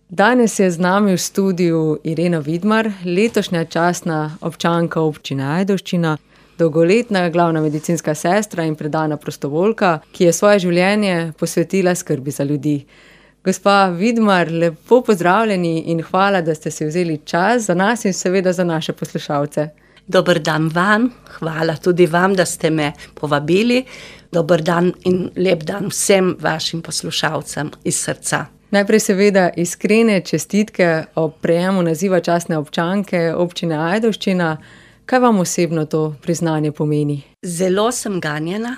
Danes je z nami v studiu Irena Vidmar, letošnja častna občanka občine Ajdovščina, dolgoletna glavna medicinska sestra in predana prostovoljka, ki je svoje življenje posvetila skrbi za ljudi. Gospa Vidmar, lepo pozdravljeni in hvala, da ste si vzeli čas za nas in seveda za naše poslušalce. Dober dan vam, hvala tudi vam, da ste me povabili. Dober dan in lep dan vsem vašim poslušalcem iz srca. Najprej seveda iskrene čestitke ob prejemu naziva častne občanke občine Ajdovščina. Kaj vam osebno to priznanje pomeni? Zelo sem ganjena,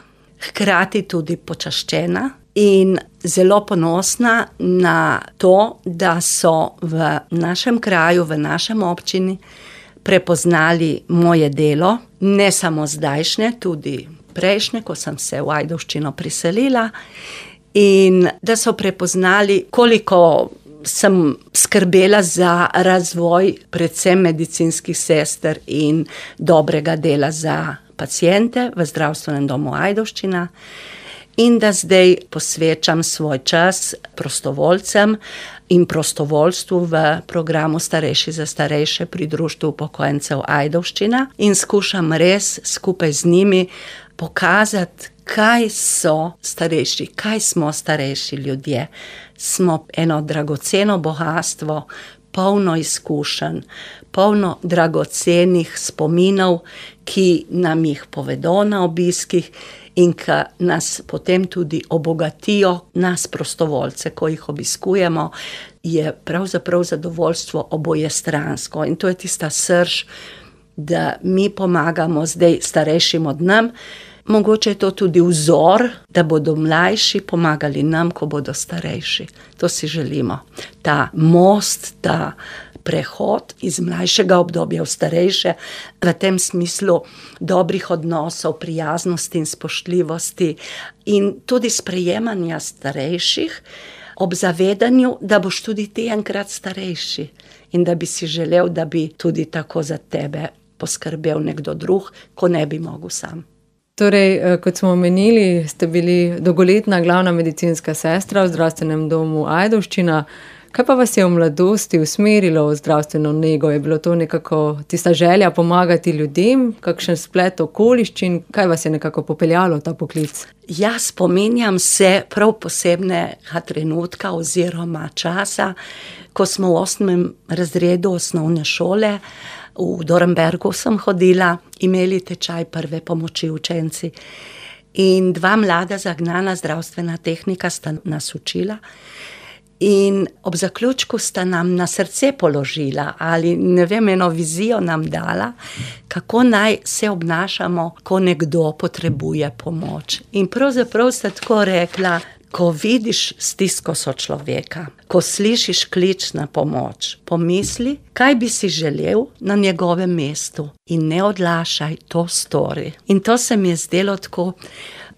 hkrati tudi počaščena in zelo ponosna na to, da so v našem kraju, v našem občini prepoznali moje delo, ne samo zdajšnje, tudi prejšnje, ko sem se v Ajdovščino priselila, in da so prepoznali, koliko sem skrbela za razvoj predvsem medicinskih sester in dobrega dela za paciente v zdravstvenem domu Ajdovščina in da zdaj posvečam svoj čas prostovoljcem in prostovoljstvu v programu Starejši za starejše pri Društvu upokojencev Ajdovščina in skušam res skupaj z njimi pokazati, kaj so starejši, kaj smo starejši ljudje. Smo eno dragoceno bogastvo, polno izkušenj, polno dragocenih spominov, ki nam jih povedo na obiskih in ki nas potem tudi obogatijo, nas prostovoljce, ko jih obiskujemo, je pravzaprav zadovoljstvo obojestransko. In to je tista srž, da mi pomagamo zdaj starejšim od nam. Mogoče je to tudi vzor, da bodo mlajši pomagali nam, ko bodo starejši. To si želimo. Ta most, ta prehod iz mlajšega obdobja v starejše, v tem smislu dobrih odnosov, prijaznosti in spoštljivosti in tudi sprejemanja starejših ob zavedanju, da boš tudi ti enkrat starejši in da bi si želel, da bi tudi tako za tebe poskrbel nekdo drug, ko ne bi mogel sam. Torej, kot smo omenili, ste bili dolgoletna glavna medicinska sestra v zdravstvenem domu Ajdovščina. Kaj pa vas je v mladosti usmerilo v zdravstveno nego? Je bilo to nekako tista želja pomagati ljudem, kakšen splet okoliščin? Kaj vas je nekako popeljalo v ta poklic? Ja, spominjam se prav posebnega trenutka oziroma časa, ko smo v 8. razredu osnovne šole, v Dornbergu sem hodila, imeli tečaj prve pomoči učenci in 2 mlada zagnana zdravstvena tehnika sta nas učila in ob zaključku sta nam na srce položila ali ne vem, eno vizijo nam dala, kako naj se obnašamo, ko nekdo potrebuje pomoč. In pravzaprav sta tako rekla, ko vidiš stisko sočloveka, ko slišiš klic na pomoč, pomisli, kaj bi si želel na njegovem mestu in ne odlašaj, to stori. In to se mi je zdelo tako,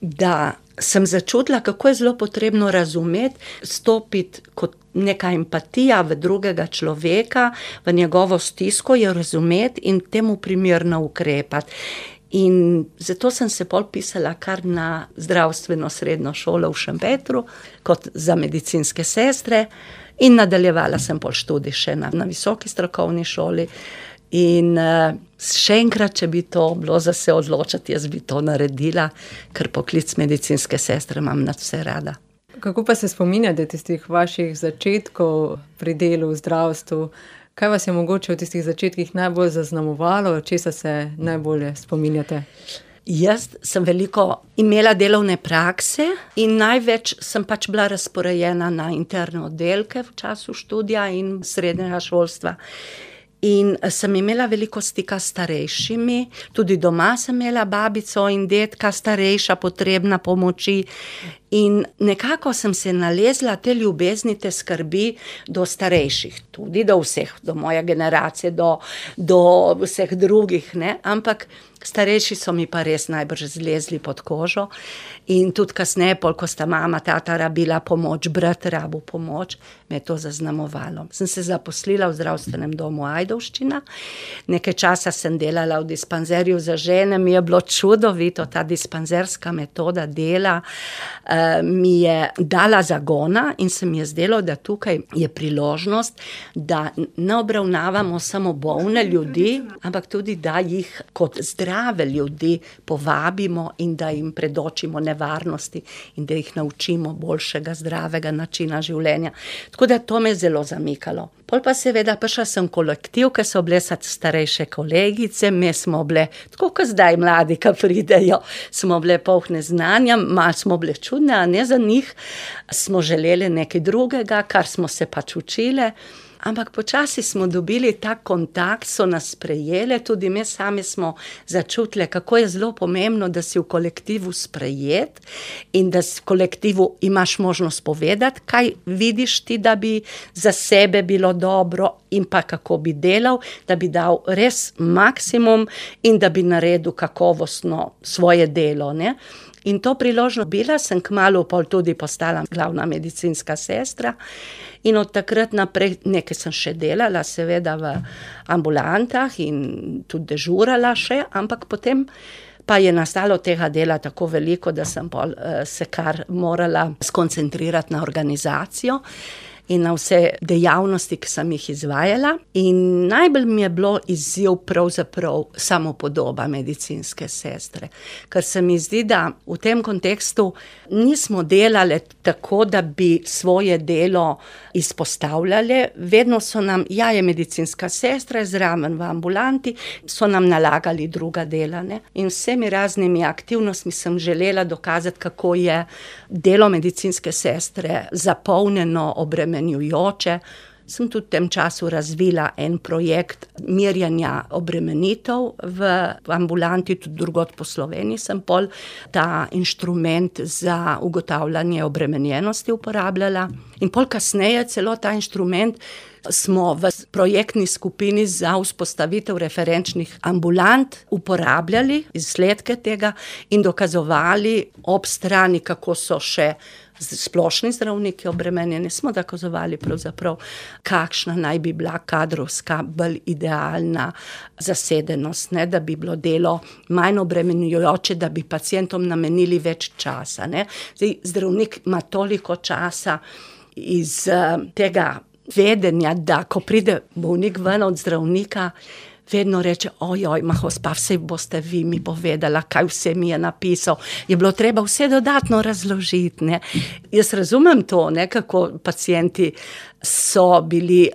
da sem začutila, kako je zelo potrebno razumeti, stopiti kot neka empatija v drugega človeka, v njegovo stisko, jo razumeti in temu primerno ukrepati. In zato sem se pol pisala kar na zdravstveno srednjo šolo v Šempetru, kot za medicinske sestre in nadaljevala sem pol študij še na visoki strokovni šoli. In še enkrat, če bi to bilo za se odločiti, jaz bi to naredila, ker poklic medicinske sestre imam nad vse rada. Kako pa se spominjate tistih vaših začetkov pri delu v zdravstvu? Kaj vas je mogoče v tistih začetkih najbolj zaznamovalo, česa se najbolje spominjate? Jaz sem veliko imela delovne prakse in največ sem pač bila razporejena na interne oddelke v času študija in srednjega šolstva. In sem imela veliko stika s starejšimi, tudi doma sem imela babico in dedka starejša, potrebna pomoči. In nekako sem se nalezla te ljubezni, te skrbi do starejših, tudi do vseh, do moje generacije, do vseh drugih, ne, ampak starejši so mi pa res najbrž zlezli pod kožo. In tudi kasneje, ko sta mama, tata rabila pomoč, brat rabil pomoč, me je to zaznamovalo. Sem se zaposlila v zdravstvenem domu Ajdovščina, nekaj časa sem delala v dispanzerju za žene, mi je bilo čudovito ta dispanzerska metoda dela, mi je dala zagona in se mi je zdelo, da tukaj je priložnost, da ne obravnavamo samo bolne ljudi, ampak tudi, da jih kot zdrave ljudi povabimo in da jim predočimo nevarnosti in da jih naučimo boljšega, zdravega načina življenja. Tako da to me je zelo zamikalo. Pol pa seveda prišla sem kolektiv, ki so bile starejše kolegice, mi smo bile, tako kot zdaj mladi, ki pridejo, smo bile polne znanja, malo smo bile čudne, a ne za njih, smo želeli nekaj drugega, kar smo se pač učile. Ampak počasi smo dobili ta kontakt, so nas sprejele, tudi mi sami smo začutili, kako je zelo pomembno, da si v kolektivu sprejet in da v kolektivu imaš možnost povedati, kaj vidiš ti, da bi za sebe bilo dobro in pa kako bi delal, da bi dal res maksimum in da bi naredil kakovostno svoje delo, ne. In to priložnost bila, sem kmalu pol tudi postala glavna medicinska sestra in od takrat naprej nekaj sem še delala, seveda v ambulantah in tudi dežurala še, ampak potem pa je nastalo tega dela tako veliko, da sem pol se kar morala skoncentrirati na organizacijo in na vse dejavnosti, ki sem jih izvajala. In najbolj mi je bilo izziv pravzaprav samopodoba medicinske sestre, ker se mi zdi, da v tem kontekstu nismo delale tako, da bi svoje delo izpostavljale. Vedno so nam, ja, je medicinska sestra, je zraven v ambulanti, so nam nalagali druga dela, ne. In vsemi raznimi aktivnostmi sem želela dokazati, kako je delo medicinske sestre zapolnjeno, obremenjujoče. Sem tudi v tem času razvila en projekt merjenja obremenitev v ambulanti, tudi drugod po Sloveniji sem pol ta inštrument za ugotavljanje obremenjenosti uporabljala. In pol kasneje celo ta inštrument smo v projektni skupini za vzpostavitev referenčnih ambulant uporabljali, izsledke tega in dokazovali ob strani, kako so še splošni zdravniki obremenjeni, smo dokazovali pravzaprav, kakšna naj bi bila kadrovska bolj idealna zasedenost, ne, da bi bilo delo manj obremenjujoče, da bi pacientom namenili več časa, ne. Zdaj, zdravnik ima toliko časa iz tega vedenja, da ko pride bolnik ven od zdravnika, vedno reče, ojoj, gospa, vse boste vi mi povedala, kaj vse mi je napisal. Je bilo treba vse dodatno razložiti, ne. Jaz razumem to, ne, kako pacienti so bili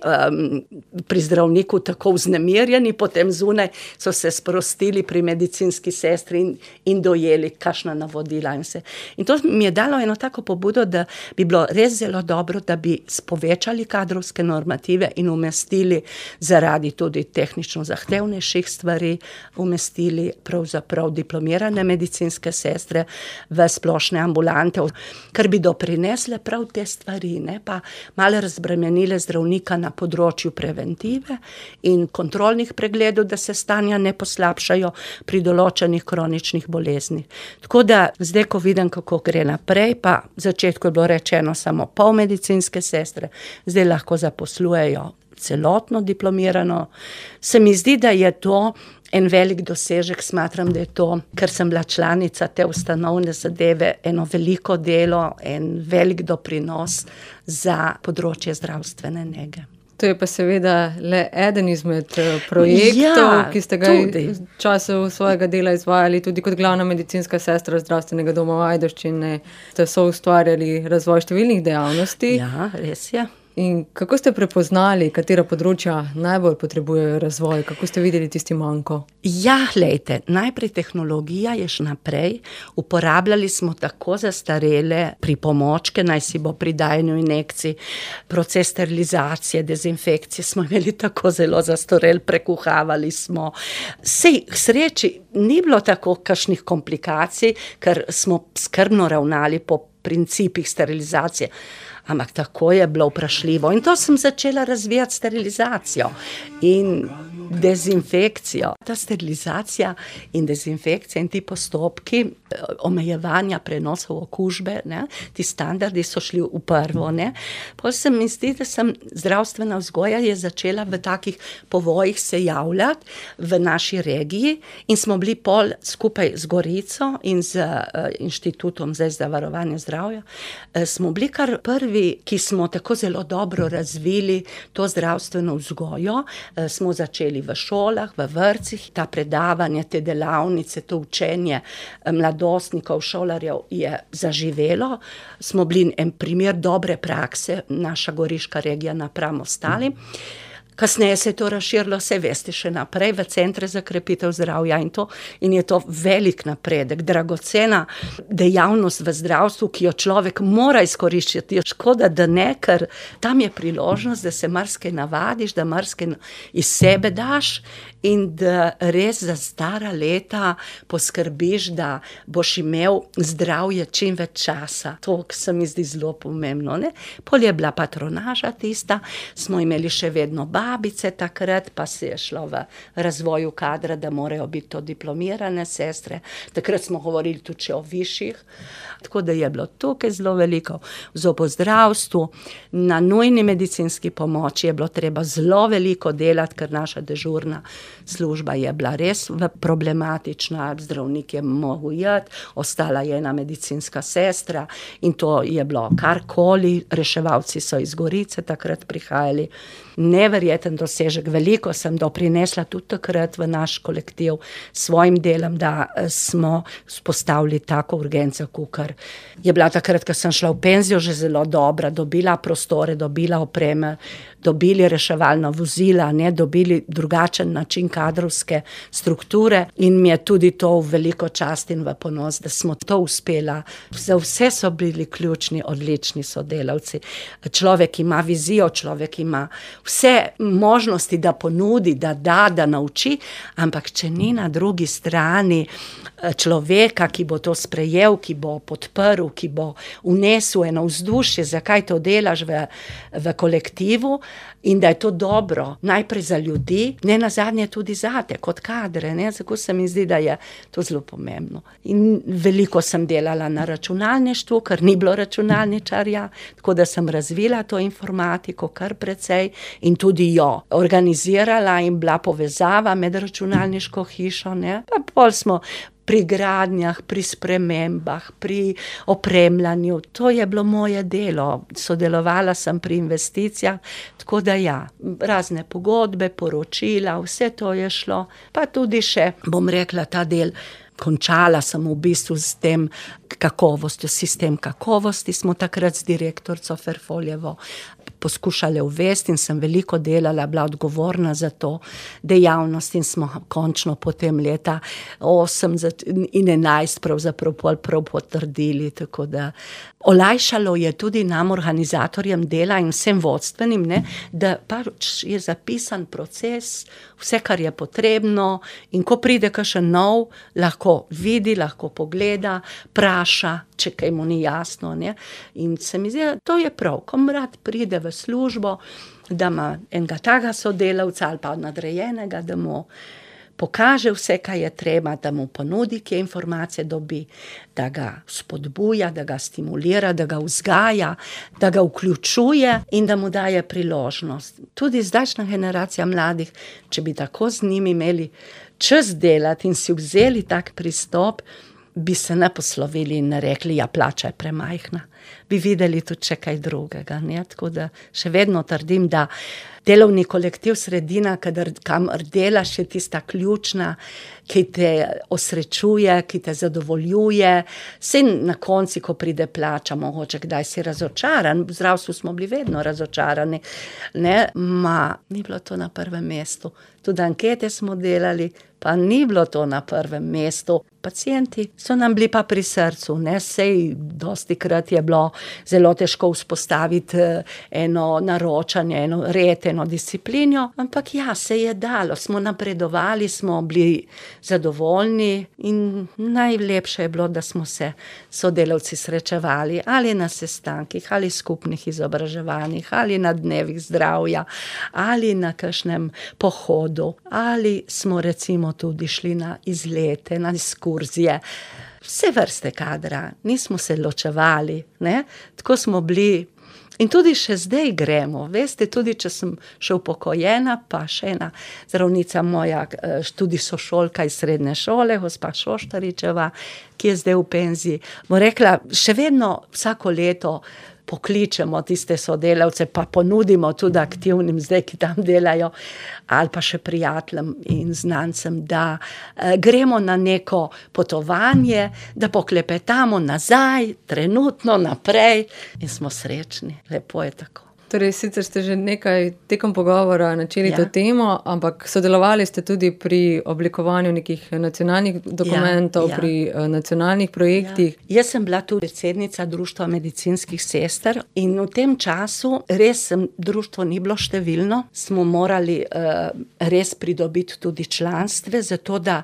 pri zdravniku tako vznemirjeni, potem zunaj so se sprostili pri medicinski sestri in dojeli kakšna navodila in vse. In to mi je dalo eno tako pobudo, da bi bilo res zelo dobro, da bi povečali kadrovske normative in umestili zaradi tudi tehnično zahtevnejših stvari, umestili pravzaprav diplomirane medicinske sestre v splošne ambulante, ker bi doprinesle prav te stvari, ne, pa malo razbremenile zdravnika na področju preventive in kontrolnih pregledov, da se stanja ne poslabšajo pri določenih kroničnih boleznih. Tako da zdaj, ko vidim, kako gre naprej, pa v začetku je bilo rečeno samo pol medicinske sestre, zdaj lahko zaposlujejo celotno diplomirano. Se mi zdi, da je to en velik dosežek, smatram, da je to, ker sem bila članica te ustanovne zadeve, eno veliko delo, en velik doprinos za področje zdravstvene nege. To je pa seveda le eden izmed projektov, ki ste ga v času svojega dela izvajali tudi kot glavna medicinska sestra Zdravstvenega doma v Ajdovščini. Ste soustvarjali razvoj številnih dejavnosti. Ja, res je. In kako ste prepoznali, katera področja najbolj potrebujejo razvoj? Kako ste videli tisti manko? Ja, glejte, najprej tehnologija je še naprej. Uporabljali smo tako zastarele pripomočke, naj si bo pri dajanju injekcij, proces sterilizacije, dezinfekcije smo imeli tako zelo zastarel, prekuhavali smo. Sej, k sreči, ni bilo tako kakšnih komplikacij, ker smo skrbno ravnali po principih sterilizacije. Ampak tako je bilo vprašljivo. In to sem začela razvijati sterilizacijo in dezinfekcijo. Ta sterilizacija in dezinfekcija in ti postopki omejevanja prenosov okužbe, ne. Ti standardi so šli v prvo, ne. Pol se mi zdi, da zdravstvena vzgoja je začela v takih povojih se javljati v naši regiji in smo bili pol skupaj z Gorico in z Inštitutom za varovanje zdravja, smo bili kar prvi, ki smo tako zelo dobro razvili to zdravstveno vzgojo. Smo začeli v šolah, v vrtcih, ta predavanja, te delavnice, to učenje mladostnikov, šolarjev je zaživelo. Smo bili en primer dobre prakse, naša goriška regija napram ostalim. Kasneje se je to razširilo, saj veste, še naprej v centre za krepitev zdravja in je to velik napredek, dragocena dejavnost v zdravstvu, ki jo človek mora izkoriščati. Škoda, da ne, ker tam je priložnost, da se marsikaj navadiš, da marsikaj iz sebe daš in da res za stara leta poskrbiš, da boš imel zdravje čim več časa. To se mi zdi zelo pomembno, ne. Pol je bila patronaža tista, smo imeli še vedno babice takrat, pa se je šlo v razvoju kadra, da morajo biti to diplomirane sestre. Takrat smo govorili tudi o višjih, tako da je bilo tukaj zelo veliko. V zobozdravstvu, na nujni medicinski pomoči je bilo treba zelo veliko delati, ker naša dežurna služba je bila res problematična, zdravnik je mogel iti, ostala je ena medicinska sestra in to je bilo karkoli, reševalci so iz Gorice takrat prihajali. Neverjeten dosežek, veliko sem doprinesla tudi takrat v naš kolektiv s svojim delom, da smo vzpostavili tako urgenco, kakor je bila takrat, ko sem šla v penzijo, že zelo dobra, dobila prostore, dobila opreme, dobili reševalna vozila, ne, dobili drugačen način kadrovske strukture in mi je tudi to v veliko čast in v ponos, da smo to uspela. Za vse so bili ključni, odlični sodelavci. Človek ima vizijo, človek ima vse možnosti, da ponudi, da nauči, ampak če ni na drugi strani človeka, ki bo to sprejel, ki bo podprl, ki bo vnesel eno vzdušje, zakaj to delaš v kolektivu in da je to dobro, najprej za ljudi, ne nazadnje tudi zate, kot kadre, ne, tako se mi zdi, da je to zelo pomembno. In veliko sem delala na računalništvu, ker ni bilo računalničarja, tako da sem razvila to informatiko kar precej in tudi jo organizirala in bila povezava med računalniško hišo, ne, pa pol smo pri gradnjah, pri spremembah, pri opremljanju. To je bilo moje delo. Sodelovala sem pri investicijah, tako da ja, razne pogodbe, poročila, vse to je šlo. Pa tudi še, bom rekla, ta del, končala sem v bistvu s tem kakovostjo, sistem kakovosti smo takrat z direktorico Ferfoljevo poskušali uvesti in sem veliko delala, bila odgovorna za to dejavnost in smo končno potem leta 8 in 11 pravzaprav prav potrdili, tako da olajšalo je tudi nam, organizatorjem dela in vsem vodstvenim, ne, da pač je zapisan proces, vse, kar je potrebno in ko pride kakšen nov, lahko vidi, lahko pogleda, praša, če kaj mu ni jasno, ne. In se mi zdi, to je prav, ko mrad pride v službo, da ima enega takega sodelavca ali pa nadrejenega, da mu pokaže vse, kaj je treba, da mu ponudi, kje informacije dobi, da ga spodbuja, da ga stimulira, da ga vzgaja, da ga vključuje in da mu daje priložnost. Tudi zdajšnja generacija mladih, če bi tako z njimi imeli čas delati in si vzeli tak pristop, bi se ne poslovili in ne rekli, ja, plača je premajhna. Bi videli tudi še kaj drugega, ne, tako da še vedno trdim, da delovni kolektiv sredina, kamor delaš, je tista ključna, ki te osrečuje, ki te zadovoljuje. Saj na konci, ko pride plača, mogoče kdaj si razočaran, v zdravstvu smo bili vedno razočarani, ne, ni bilo to na prvem mestu. Tudi ankete smo delali, pa ni bilo to na prvem mestu. Pacienti so nam bili pa pri srcu, ne, sej dostikrat je bilo zelo težko vzpostaviti eno naročanje, eno red, eno disciplino, ampak ja, se je dalo, smo napredovali, smo bili zadovoljni in najlepše je bilo, da smo se sodelavci srečevali ali na sestankih, ali skupnih izobraževanjih, ali na dnevih zdravja, ali na kakšnem pohodu, ali smo recimo tudi šli na izlete, na ekskurzije. vse vrste kadra, nismo se ločevali, ne? Tako smo bili. In tudi še zdaj gremo, veste, tudi če sem še upokojena, pa še ena zdravnica moja, tudi sošolka iz srednje šole, gospa Šoštaričeva, ki je zdaj v penziji, bo rekla, še vedno vsako leto pokličemo tiste sodelavce, pa ponudimo tudi aktivnim zdaj, ki tam delajo, ali pa še prijateljem in znancem, da gremo na neko potovanje, da poklepetamo nazaj, trenutno, naprej in smo srečni. Lepo je tako. Torej, sicer ste že nekaj tekom pogovora načeli to temo, ampak sodelovali ste tudi pri oblikovanju nekih nacionalnih dokumentov, pri nacionalnih projektih. Jaz sem bila tudi predsednica Društva medicinskih sester in v tem času res društvo ni bilo številno, smo morali res pridobiti tudi članstve, zato da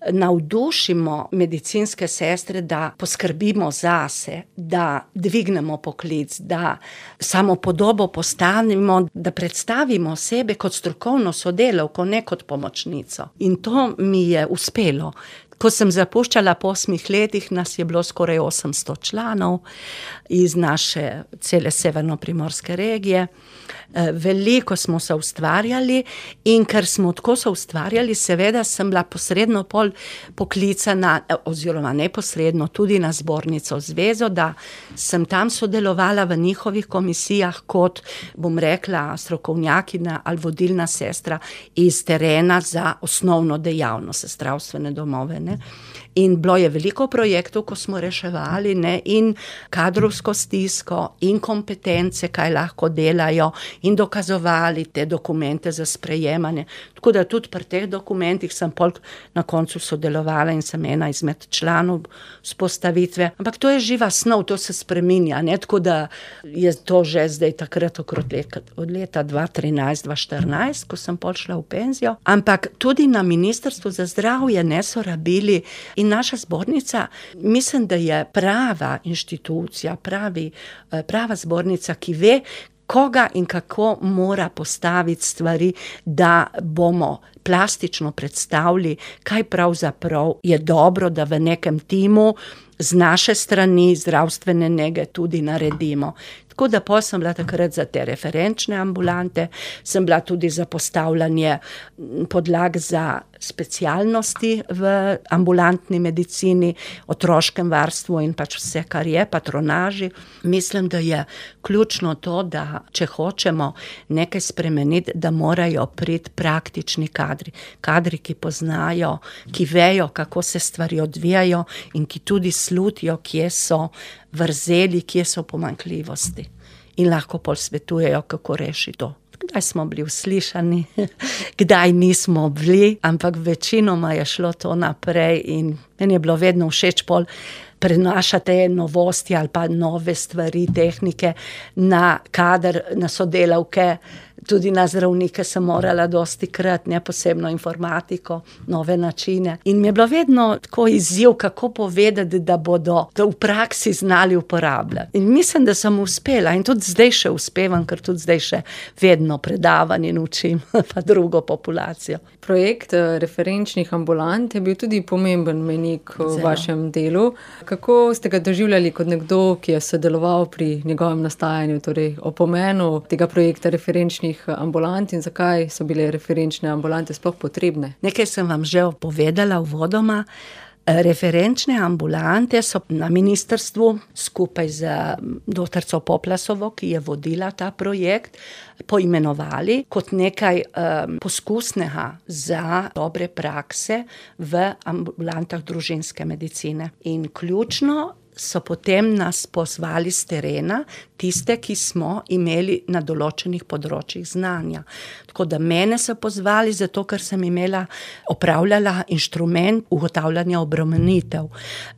navdušimo medicinske sestre, da poskrbimo zase, da dvignemo poklic, da samopodobo postavimo, da predstavimo sebe kot strokovno sodelavko, ne kot pomočnico. In to mi je uspelo. Ko sem zapuščala po 8 letih, nas je bilo skoraj 800 članov iz naše cele severnoprimorske regije. Veliko smo se ustvarjali in ker smo tako se ustvarjali, seveda sem bila posredno poklicana, oziroma neposredno tudi na zbornico zvezo, da sem tam sodelovala v njihovih komisijah kot, bom rekla, strokovnjakinja ali vodilna sestra iz terena za osnovno dejavnost, zdravstvene domove, ne. In bilo je veliko projektov, ko smo reševali, ne, in kadrovsko stisko, in kompetence, kaj lahko delajo, in dokazovali te dokumente za sprejemanje. Tako da tudi pri teh dokumentih sem pol na koncu sodelovala in sem ena izmed članov vzpostavitve. Ampak to je živa snov, to se spreminja, ne, tako da je to že zdaj takrat od leta 2013-2014, ko sem pol šla v penzijo. Ampak tudi na Ministrstvu za zdravje ne so rabili. In naša zbornica, mislim, da je prava inštitucija, prava zbornica, ki ve, koga in kako mora postaviti stvari, da bomo plastično predstavili, kaj pravzaprav je dobro, da v nekem timu z naše strani zdravstvene nege tudi naredimo. Tako da pol sem bila takrat za te referenčne ambulante, sem bila tudi za postavljanje podlag za specialnosti v ambulantni medicini, otroškem varstvu in pač vse, kar je, patronaži. Mislim, da je ključno to, da če hočemo nekaj spremeniti, da morajo priti praktični kadri. Kadri, ki poznajo, ki vejo, kako se stvari odvijajo in ki tudi slutijo, kje so vrzeli, kje so pomanjkljivosti. In lahko pol svetujejo, kako rešiti to. Kdaj smo bili uslišani, kdaj nismo bili, ampak večinoma je šlo to naprej in meni je bilo vedno všeč pol prenašati novosti ali pa nove stvari, tehnike na kader, na sodelavke. Tudi na zdravnike sem morala dostikrat, ne, posebno informatiko, nove načine. In mi je bilo vedno tako izziv, kako povedati, da bodo to v praksi znali uporabljati. In mislim, da sem uspela in tudi zdaj še uspevam, ker tudi zdaj še vedno predavam in učim pa drugo populacijo. Projekt referenčnih ambulant je bil tudi pomemben mejnik v vašem delu. Kako ste ga doživljali kot nekdo, ki je sodeloval pri njegovem nastajanju, torej o pomenu tega projekta referenčnih ambulant in zakaj so bile referenčne ambulante sploh potrebne? Nekaj sem vam že povedala uvodoma. Referenčne ambulante so na ministrstvu skupaj z doktorico Poplasovo, ki je vodila ta projekt, poimenovali kot nekaj poskusnega za dobre prakse v ambulantah družinske medicine. In ključno so potem nas pozvali z terena, tiste, ki smo imeli na določenih področjih znanja. Tako da mene so pozvali zato, ker sem opravljala inštrument ugotavljanja obremenitev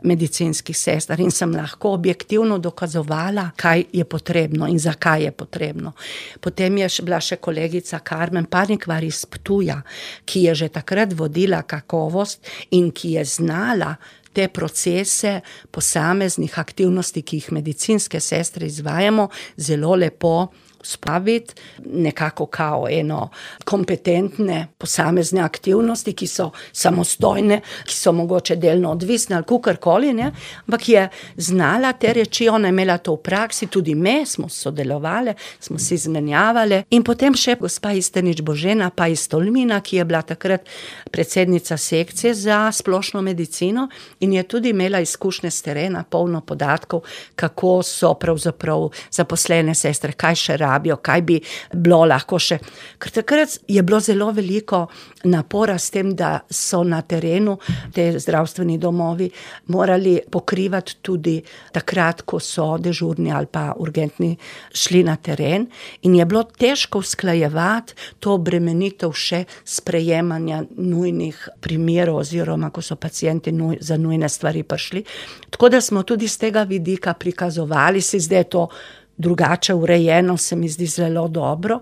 medicinskih sester in sem lahko objektivno dokazovala, kaj je potrebno in zakaj je potrebno. Potem je bila še kolegica Karmen Parnikvar iz Ptuja, ki je že takrat vodila kakovost in ki je znala te procese posameznih aktivnosti, ki jih medicinske sestre izvajamo, zelo lepo spraviti nekako kao eno kompetentne posamezne aktivnosti, ki so samostojne, ki so mogoče delno odvisne ali kakorkoli, ne, ampak je znala te reči, ona je imela to v praksi, tudi me smo sodelovali, smo se izmenjavali in potem še gospa Istenič Božena pa iz Tolmina, ki je bila takrat predsednica sekcije za splošno medicino in je tudi imela izkušnje s terena, polno podatkov, kako so pravzaprav zaposlene sestre, kaj še rabijo, kaj bi bilo lahko še. Ker takrat je bilo zelo veliko napora s tem, da so na terenu te zdravstveni domovi morali pokrivati tudi takrat, ko so dežurni ali pa urgentni šli na teren in je bilo težko usklajevati to obremenitev še sprejemanja nujnih primerov oziroma, ko so pacienti za nujne stvari prišli. Tako da smo tudi z tega vidika prikazovali, si zdaj to drugače urejeno, se mi zdi zelo dobro.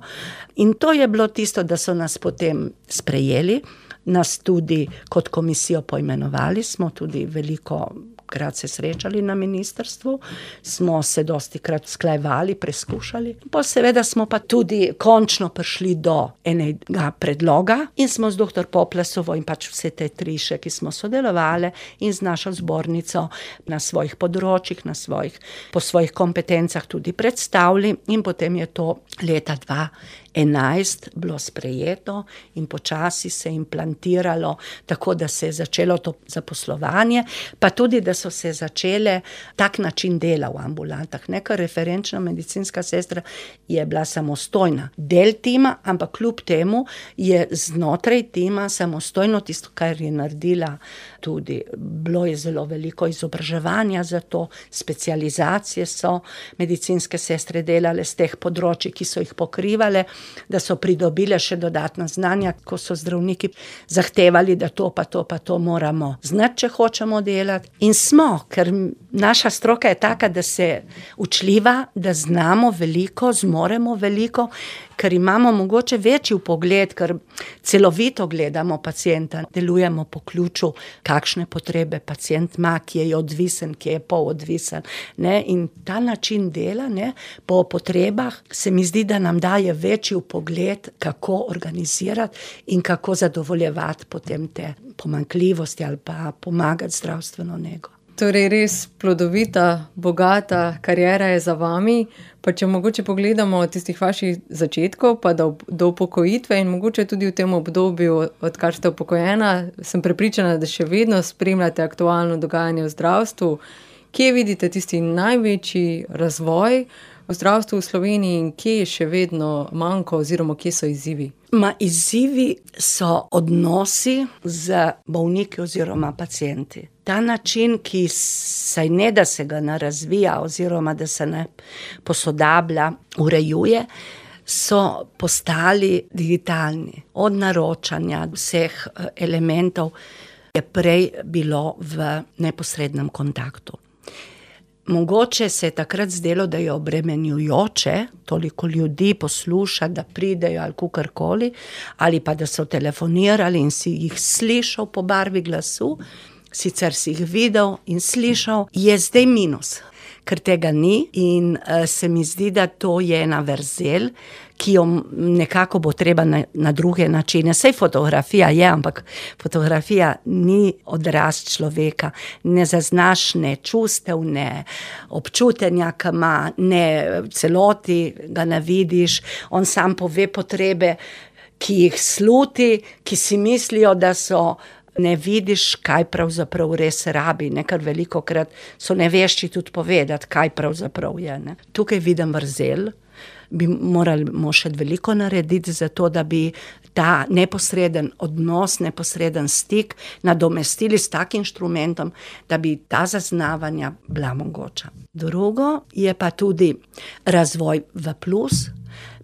In to je bilo tisto, da so nas potem sprejeli, nas tudi kot komisijo poimenovali, smo tudi veliko krat se srečali na ministrstvu, smo se dostikrat usklajevali, preskušali. Pa seveda smo pa tudi končno prišli do enega predloga in smo z dr. Poplasovo in pač vse te tri še, ki smo sodelovali in z našo zbornico na svojih področjih, po svojih kompetencah tudi predstavili in potem je to leta 2011 bilo sprejeto in počasi se implantiralo, tako da se je začelo to zaposlovanje, pa tudi, da so se začele tak način dela v ambulantah. Neka referenčna medicinska sestra je bila samostojna del tima, ampak kljub temu je znotraj tima samostojno tisto, kar je naredila tudi. Bilo je zelo veliko izobraževanja za to, specializacije so medicinske sestre delale z teh področji, ki so jih pokrivale, da so pridobile še dodatna znanja, ko so zdravniki zahtevali, da to pa to moramo znati, če hočemo delati. In smo, ker naša stroka je taka, da se učljiva, da znamo veliko, zmoremo veliko, ker imamo mogoče večji vpogled, ker celovito gledamo pacienta, delujemo po ključu, kakšne potrebe pacient ima, ki je odvisen, ki je polodvisen, ne, in ta način dela, ne, po potrebah se mi zdi, da nam daje večji vpogled, kako organizirati in kako zadovoljevati potem te pomanjkljivosti ali pa pomagati zdravstveno nego. Torej res plodovita, bogata kariera je za vami, pa če mogoče pogledamo od tistih vaših začetkov, pa do upokojitve in mogoče tudi v tem obdobju, odkar ste upokojena, sem prepričana, da še vedno spremljate aktualno dogajanje v zdravstvu. Kje vidite tisti največji razvoj v zdravstvu v Sloveniji in kje je še vedno manjko oziroma kje so izzivi? Izzivi so odnosi z bolniki oziroma pacienti. Ta način, ki saj ne da se ga ne razvija oziroma da se ne posodablja, urejuje, so postali digitalni. Od naročanja vseh elementov je prej bilo v neposrednem kontaktu. Mogoče se je takrat zdelo, da je obremenjujoče toliko ljudi poslušati, da pridejo ali kakorkoli, ali pa da so telefonirali in si jih slišal po barvi glasu, sicer si jih videl in slišal, je zdaj minus, ker tega ni in se mi zdi, da to je ena vrzel, ki jo nekako bo treba na druge načine. Saj fotografija je, ampak fotografija ni odraz človeka. Ne zaznaš ne čustev, ne občutenja, ki ima, ne celoti ga ne vidiš. On sam pove potrebe, ki jih sluti, ki si mislijo, da so, ne vidiš, kaj pravzaprav res rabi, ne, ker velikokrat so nevešči tudi povedati, kaj pravzaprav je, ne. Tukaj vidim vrzel, bi morali še veliko narediti za to, da bi ta neposreden odnos, neposreden stik nadomestili s takim inštrumentom, da bi ta zaznavanja bila mogoča. Drugo je pa tudi razvoj v plus.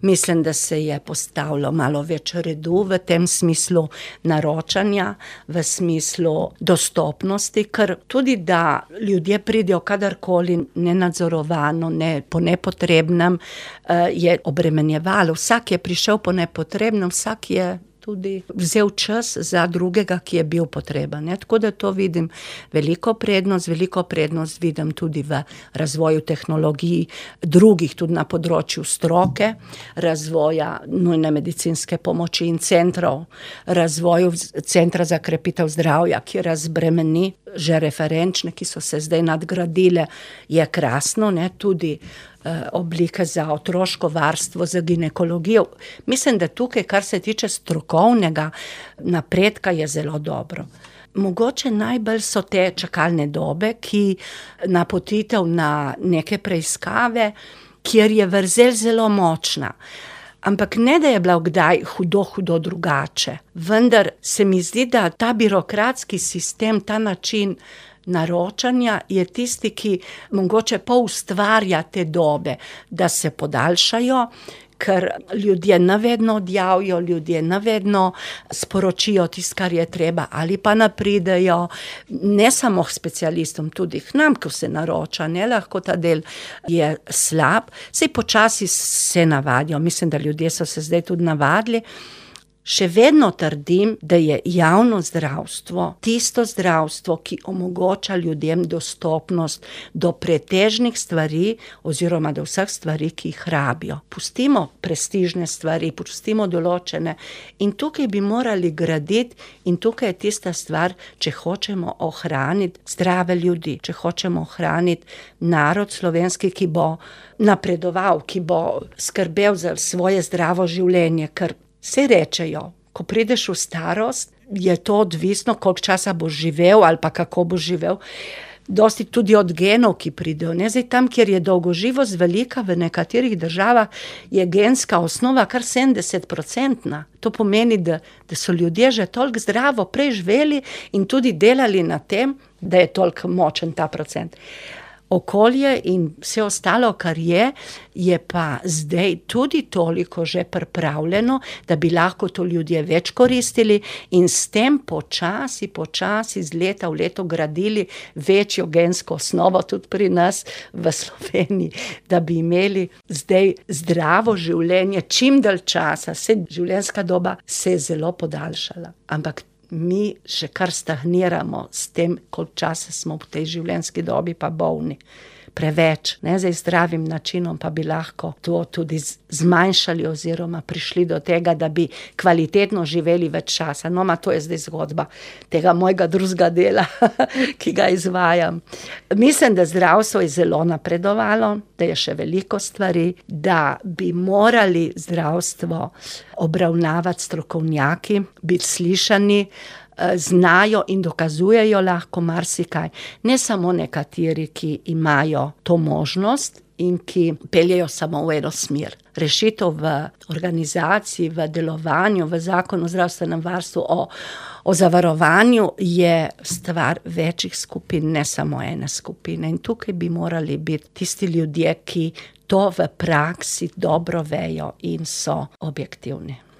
Mislim, da se je postavilo malo več redu v tem smislu naročanja, v smislu dostopnosti, ker tudi da ljudje pridejo kadarkoli nenadzorovano, po nepotrebnem, je obremenjevalo. Vsak je prišel po nepotrebnem, vsak je tudi vzel čas za drugega, ki je bil potreben. Tako da to vidim veliko prednost vidim tudi v razvoju tehnologij, drugih tudi na področju stroke, razvoja nujne medicinske pomoči in centrov, razvoju centra za krepitev zdravja, ki razbremeni že referenčne, ki so se zdaj nadgradile, je krasno, tudi oblike za otroško varstvo, za ginekologijo. Mislim, da tukaj, kar se tiče strokovnega napredka, je zelo dobro. Mogoče najbolj so te čakalne dobe, ki napotitev na neke preiskave, kjer je vrzel zelo močna. Ampak ne, da je bila kdaj hudo drugače. Vendar se mi zdi, da ta birokratski sistem, ta način naročanja je tisti, ki mogoče poustvarja te dobe, da se podaljšajo, ker ljudje nevedno odjavijo, ljudje nevedno sporočijo tisto, kar je treba, ali pa napridejo, ne samo k specialistom, tudi k nam, ko se naroča, ne lahko ta del je slab, saj počasi se navadijo, mislim, da ljudje so se zdaj tudi navadili. Še vedno trdim, da je javno zdravstvo tisto zdravstvo, ki omogoča ljudem dostopnost do pretežnih stvari oziroma do vseh stvari, ki jih rabijo. Pustimo prestižne stvari, pustimo določene in tukaj bi morali graditi in tukaj je tista stvar, če hočemo ohraniti zdrave ljudi, če hočemo ohraniti narod slovenski, ki bo napredoval, ki bo skrbel za svoje zdravo življenje, ker se rečejo, ko prideš v starost, je to odvisno, koliko časa boš živel ali pa kako boš živel. Dosti tudi od genov, ki pridejo. Zdaj tam, kjer je dolgoživost velika, v nekaterih državah je genska osnova kar 70%. To pomeni, da so ljudje že toliko zdravo preživeli in tudi delali na tem, da je toliko močen ta procent. Okolje in vse ostalo, kar je pa zdaj tudi toliko že pripravljeno, da bi lahko to ljudje več koristili in s tem počasi iz leta v leto gradili večjo gensko osnovo tudi pri nas v Sloveniji, da bi imeli zdaj zdravo življenje čim dalj časa. Življenjska doba se je zelo podaljšala, ampak mi še kar stagniramo s tem, koliko časa smo v tej življenjski dobi pa bolni. Preveč. Zdaj zdravim načinom pa bi lahko to tudi zmanjšali oziroma prišli do tega, da bi kvalitetno živeli več časa. To je zdaj zgodba tega mojega drugega dela, ki ga izvajam. Mislim, da zdravstvo je zelo napredovalo, da je še veliko stvari, da bi morali zdravstvo obravnavati strokovnjaki, biti slišani, znajo in dokazujejo lahko marsikaj. Ne samo nekateri, ki imajo to možnost in ki peljejo samo v eno smer. Rešitev v organizaciji, v delovanju, v zakonu o zdravstvenem varstvu, o zavarovanju je stvar večjih skupin, ne samo ene skupine. In tukaj bi morali biti tisti ljudje, ki to v praksi dobro vejo in so objektivni.